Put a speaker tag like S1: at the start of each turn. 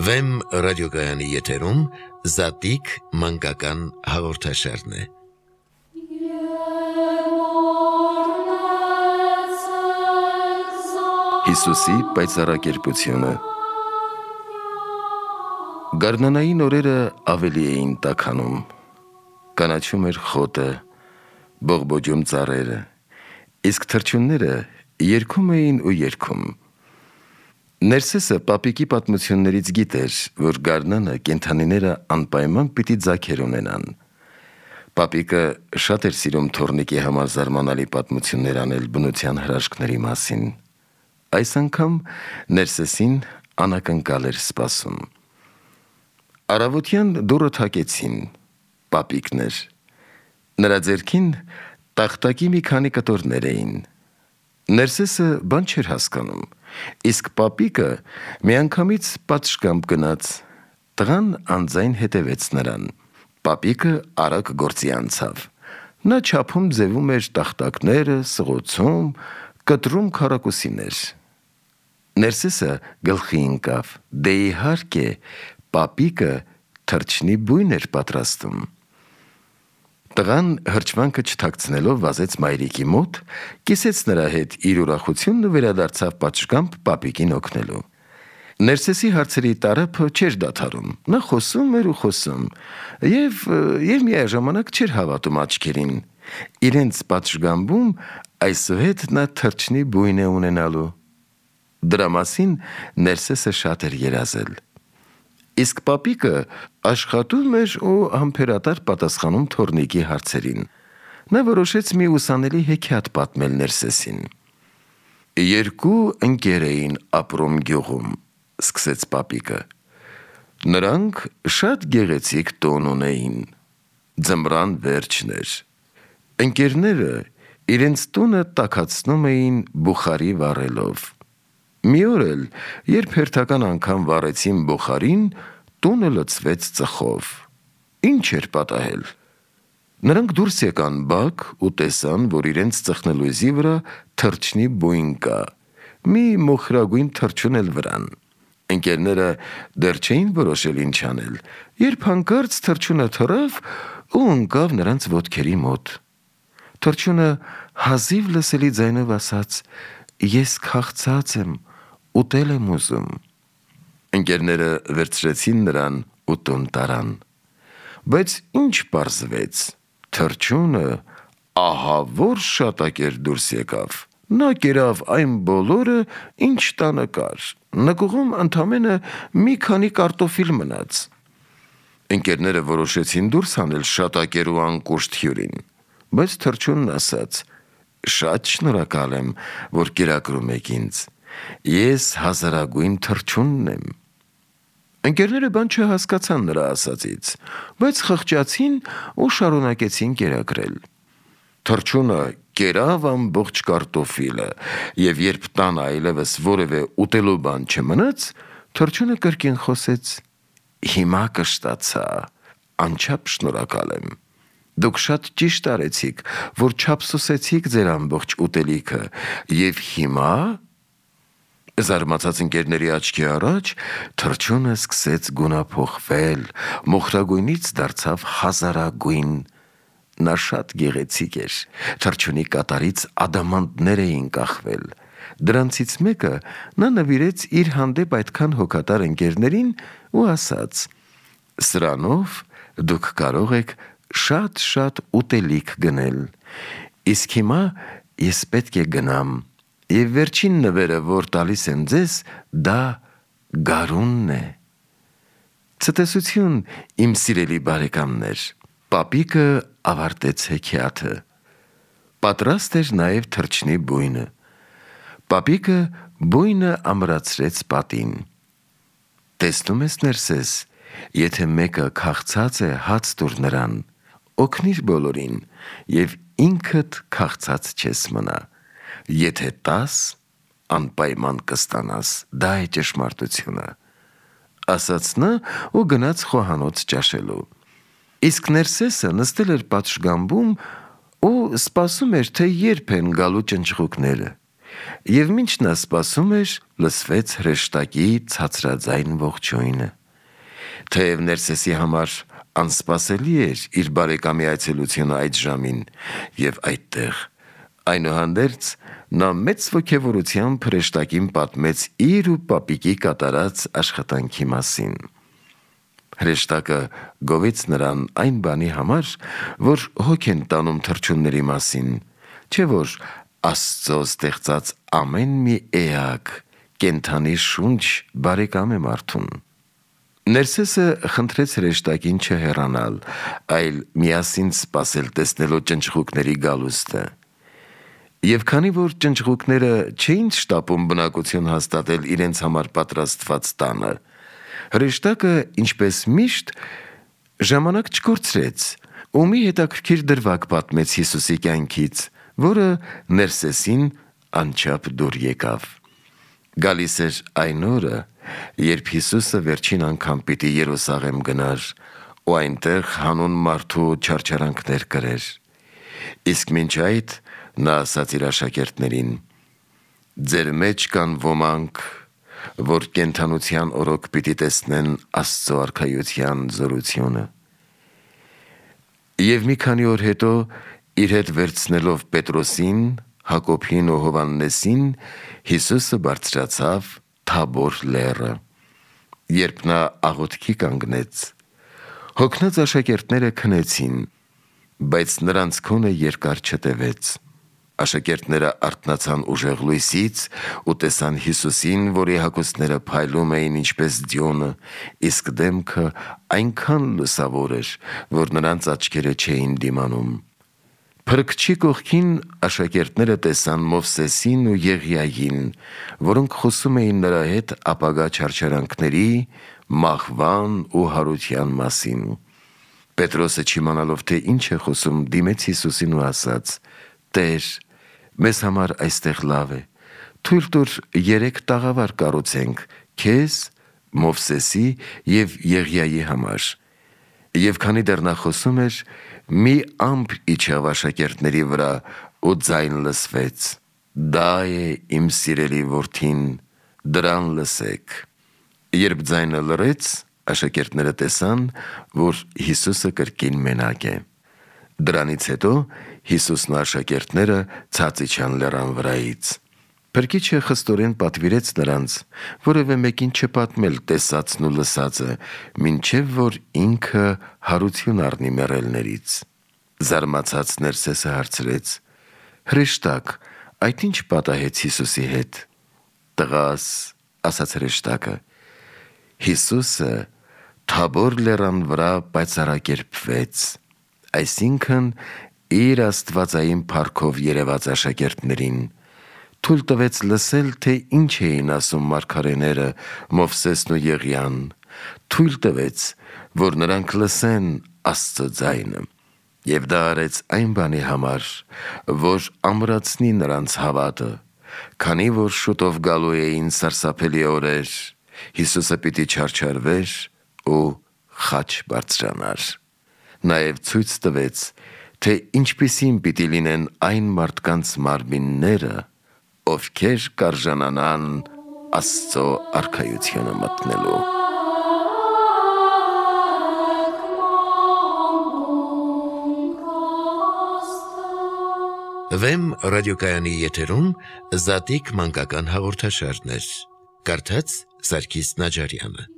S1: Վեմ ռադիոգայանի եթերում Զատիկ մանկական հաղորդաշարն է։
S2: Հիսուսի պայծառակերպությունը։ Գարնանային օրերը ավելի էին տաքանում, կանաչում էր խոտը, բողբոջում ծառերը, իսկ թռչունները երգում էին ու երգում։ Ներսեսը պապիկի պատմություններից գիտեր, որ գարնանը կենդանիները անպայման պիտի ձագեր ունենան։ Պապիկը շատ էր սիրում թոռնիկի համար զարմանալի պատմություններ անել բնության հրաշքների մասին։ Այս անգամ Ներսեսին անակնկալ էր սպասում։ Առավոտյան դուռը թակեցին, պապիկն էր։ Նրա ձեռքին տախտակի մի քանի կտորներ էին։ Ներսեսը բան չէր հասկանում, իսկ պապիկը միանգամից պատշգամբ գնաց, տղան անձայն հետևեց նրան։ Պապիկը արագ գործի անցավ։ Նա չափում ձևում էր տախտակները, սղոցում, կտրում քառակուսիներ։ Ներսեսը գլխի ընկավ, դե իհարկե, պապիկը թռչնի բույն էր պատրաստում։ Տղան հրճվանքը չթաքցնելով վազեց մայրիկի մոտ, կիսեց նրա հետ իր ուրախությունն ու վերադարձավ պատշգամբ պապիկին օգնելու։ Ներսեսի հարցերի տարափը չէր դադարում, նա խոսում էր ու խոսում, և միաժամանակ չէր հավատում աչքերին։ Իրենց պատշգամբում այսուհետ նա թռչնի բույն է ունենալու։ Դրա մասին Ներսեսը շատ էր երազել։ Իսկ պապիկը աշխատում էր ու համբերատար պատասխանում թոռնիկի հարցերին։ Նա որոշեց մի ուսանելի հեքիաթ պատմել Ներսեսին։ Երկու ընկեր էին ապրում գյուղում, սկսեց պապիկը։ Նրանք շատ գեղեցիկ տուն ունեին։ Ձմռան վերջն էր։ Ընկերները իրենց տունը տաքացնում էին բուխարի վառելով։ Մի օր էլ, երբ հերթական անգամ վառեցին բուխարին, տունը լցվեց ծխով։ Ինչ էր պատահել։ Նրանք դուրս եկան բակ ու տեսան, որ իրենց ծխնելույզի վրա թռչնի բույն կա, մի մոխրագույն թռչուն էլ վրան։ Ընկերները դեռ չէին որոշել ինչ անել, երբ հանկարծ թռչունը թռավ ու ընկավ նրանց ոտքերի մոտ։ Թռչունը հազիվ լսելի ձայնով ասաց. «Ես քաղցած եմ, ուտել եմ ուզում»։ Ընկերները վերցրեցին նրան ու տուն տարան։ Բայց ինչ պարզվեց, թռչունը ահա որ շատակեր դուրս եկավ։ Նա կերավ այն բոլորը, ինչ տանը կար, նկուղում ընդամենը մի քանի կարտոֆիլ մնաց։ Ընկերները որոշեցին դուրս հանել շատակեր ու անկուշտ հյուրին, բայց թռչունն ասաց. «Շատ շնորհակալ եմ, որ կերակրում եք ինձ, ես հազարագույն թռչունն եմ»։ Ընկերները բան չհասկացան նրա ասածից, բայց խղճացին ու շարունակեցին կերակրել։ Թռչունը կերավ ամբողջ կարտոֆիլը, և երբ տանը այլևս որևէ ուտելու բան չմնաց, թռչունը կրկին խոսեց. «Հիմա կշտացա, անչափ շնորհակալ եմ։ Դուք շատ ճիշտ արեցիք, որ չափսոսեցիք ձեր ամբողջ ուտելիքը, և հիմա…» Զարմացած ընկերների աչքի առաջ թռչունը սկսեց գունափոխվել, մոխրագույնից դարձավ հազարագույն։ Նա շատ գեղեցիկ էր, թռչունի կատարից ադամանդներ էին կախվել։ Դրանցից մեկը նա նվիրեց իր հանդեպ այդքան հոգատար ընկերներին ու ասաց. «Սրանով դուք կարող եք շատ ուտելիք գնել։ Իսկ հիմա ես պետք է գնամ, և վերջին նվերը, որ տալիս եմ ձեզ, դա գարունն է»։ Ցտեսություն, իմ սիրելի բարեկամներ, պապիկը ավարտեց հեքիաթը։ Պատրաստ էր նաև թռչնի բույնը։ Պապիկը բույնը ամրացրեց պատին։ Տեսնում ես, Ներսես, եթե մեկը քաղցած է, հաց տուր նրան, օգնիր բոլորին, և ինքդ քաղցած չես մնա։ Եթե տաս, անպայման կստանաս, դա է ճշմարտությունը, ասաց նա ու գնաց խոհանոց ճաշելու։ Իսկ Ներսեսը նստել էր պատշգամբում ու սպասում էր, թե երբ են գալու ճնճղուկները։ Եվ մինչ նա սպասում էր, լսվեց հրեշտակի ցածրաձայն ողջույնը։ Թեև Ներսեսի համար անսպասելի էր իր բարեկամի այցելությունը այդ ժամին եւ այդտեղ, այնուհանդերձ նա մեծ ոգևորությամբ հրեշտակին պատմեց իր ու պապիկի կատարած աշխատանքի մասին։ Հրեշտակը գովեց նրան այն բանի համար, որ հոգ են տանում թռչունների մասին, չէ որ Աստծո ստեղծած ամեն մի էակ կենդանի շունչ բարեկամ է մարդուն։ Ներսեսը խնդրեց հրեշտակին չհեռանալ, այլ միասին սպասել տեսնելով ճնճղուկների գալուստը։ Եվ քանի որ ճնճղուկները չէին շտապում բնակություն հաստատել իրենց համար պատրաստված տանը, հրեշտակը, ինչպես միշտ, ժամանակ չկորցրեց ու մի հետաքրքիր դրվագ պատմեց Հիսուսի կյանքից, որը Ներսեսին անչափ դուր եկավ։ Գալիս էր այն օրը, երբ Հիսուսը վերջին անգամ պիտի Երուսաղեմ գնար ու այնտեղ հանուն մարդու չարչարանքներ կրեր։ Իսկ մինչ այդ նա ասաց իր աշակերտներին. «Ձեր մեջ կան ոմանք, որ կենդանության օրոք պիտի տեսնեն Աստծո արքայության զորությունը»։ Եվ մի քանի օր հետո իր հետ վերցնելով Պետրոսին, Հակոբին ու Հովհաննեսին, Հիսուսը բարձրացավ Թաբոր լեռը։ Երբ նա աղոթքի կանգնեց, հոգնած աշակերտները քնեցին, բայց նրանց քոնը երկար չտևեց։ Աշակերտները արթնացան ուժեղ լույսից ու տեսան Հիսուսին, որի հագուստները փայլում էին ինչպես ձյոնը, իսկ դեմքը այնքան լուսավոր էր, որ նրանց աչքերը չէին դիմանում։ Փրկչի կողքին աշակերտները տեսան Մովսեսին ու Եղիային, որոնք խոսում էին նրա հետ ապագա չարչարանքների, մահվան ու հարության մասին։ Պետրոսը չիմանալով, թե ինչ է խոսում, դիմեց Հիսուսին ու ասաց. «Տեր, մեզ համար այստեղ լավ է, թույլ տուր 3 տաղավար կառուցենք քեզ, Մովսեսի և Եղիայի համար»։ Եվ քանի դեռ նա խոսում էր, մի ամպ իջավ աշակերտների վրա ու ձայն լսվեց. «Դա է իմ սիրելի որդին, դրան լսեք»։ Երբ ձայնը լռեց, աշակերտները տեսան, որ Հիսուսը կրկին մենակ է։ Դրանից հետո Հիսուսն ու աշակերտները ցած իջան լեռան վրայից։ Փրկիչը խստորեն պատվիրեց նրանց որևէ մեկին չպատմել տեսածն ու լսածը, մինչև որ ինքը հարություն առնի մեռելներից։ Զարմացած Ներսեսը հարցրեց. «Հրեշտակ, այդ ինչ պատահեց Հիսուսի հետ»։ «Տղաս», ասաց հրեշտակը, «Հիսուսը Թաբոր լեռան վրա պայծառակերպվեց», այսինքն իր աստվածային փառքով երևաց աշակերտներին, թույլ տվեց լսել, թե ինչ էին ասում մարգարեները, Մովսեսն ու Եղիան, թույլ տվեց, որ նրանք լսեն Աստծո ձայնը։ Եվ դա արեց այն բանի համար, որ ամրացնի նրանց հավատը, քանի որ շուտով գալու էին սարսափելի օրեր, Հիսուսը պիտի չարչարվեր ու խաչ բարձրանար։ Նաև ցույց տվեց, թե ինչպիսին պիտի լինեն այն մարդկանց մարմինները, ովքեր կարժանանան Աստծո արքայությունը մտնելու։
S1: Վեմ ռադիոկայանի եթերում Զատիկ մանկական հաղորդաշարներ։ Կարդաց Սարգիս Նաջարյանը։